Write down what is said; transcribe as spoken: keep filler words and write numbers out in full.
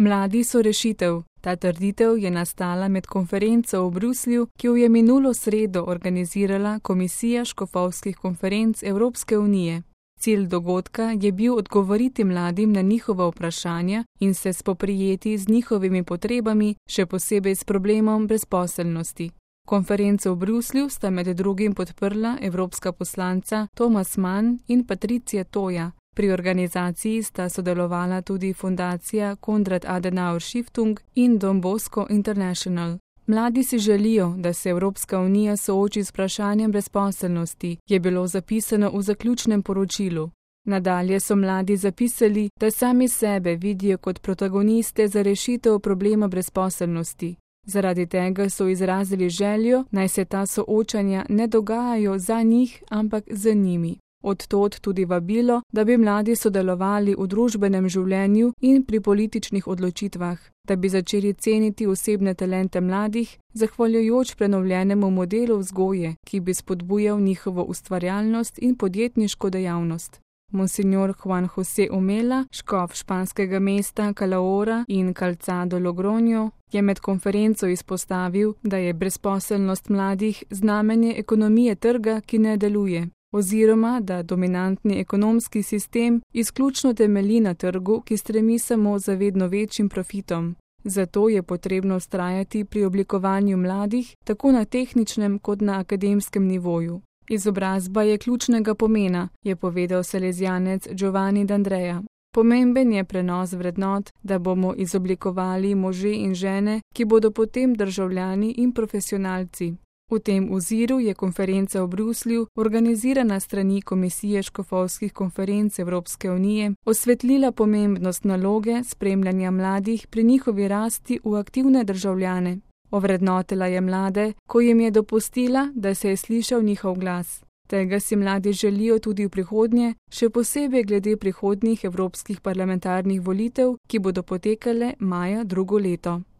Mladi so rešitev. Ta trditev je nastala med konferenco v Bruslju, ki jo je minulo sredo organizirala Komisija škofovskih konferenc Evropske unije. Cilj dogodka je bil odgovoriti mladim na njihova vprašanja in se spoprijeti z njihovimi potrebami, še posebej s problemom brezposelnosti. Konferenco v Bruslju sta med drugim podprla evropska poslanca Thomas Mann in Patricia Toja. Pri organizaciji sta sodelovala tudi fundacija Konrad Adenauer Stiftung in Don Bosco International. Mladi si želijo, da se Evropska unija sooči z vprašanjem brezposelnosti, je bilo zapisano v zaključnem poročilu. Nadalje so mladi zapisali, da sami sebe vidijo kot protagoniste za rešitev problema brezposelnosti. Zaradi tega so izrazili željo, naj se ta soočanja ne dogajajo za njih, ampak za njimi. Od tod tudi vabilo, da bi mladi sodelovali v družbenem življenju in pri političnih odločitvah, da bi začeli ceniti osebne talente mladih, zahvaljujoč prenovljenemu modelu vzgoje, ki bi spodbujal njihovo ustvarjalnost in podjetniško dejavnost. Monsignor Juan José Umela, škof španskega mesta Calahorra in Calzado Logroño, je med konferenco izpostavil, da je brezposelnost mladih znamenje ekonomije trga, ki ne deluje, oziroma da dominantni ekonomski sistem izključno temelji na trgu, ki stremi samo za vedno večjim profitom. Zato je potrebno vztrajati pri oblikovanju mladih tako na tehničnem kot na akademskem nivoju. Izobrazba je ključnega pomena, je povedal salezijanec Giovanni D'Andrea. Pomemben je prenos vrednot, da bomo izoblikovali može in žene, ki bodo potem državljani in profesionalci. V tem oziru je konferenca v Bruslju, organizirana strani Komisije škofovskih konferenc Evropske unije, osvetlila pomembnost naloge spremljanja mladih pri njihovi rasti v aktivne državljane. Ovrednotila je mlade, ko jim je dopustila, da se je slišal njihov glas. Tega si mladi želijo tudi v prihodnje, še posebej glede prihodnjih evropskih parlamentarnih volitev, ki bodo potekale maja drugo leto.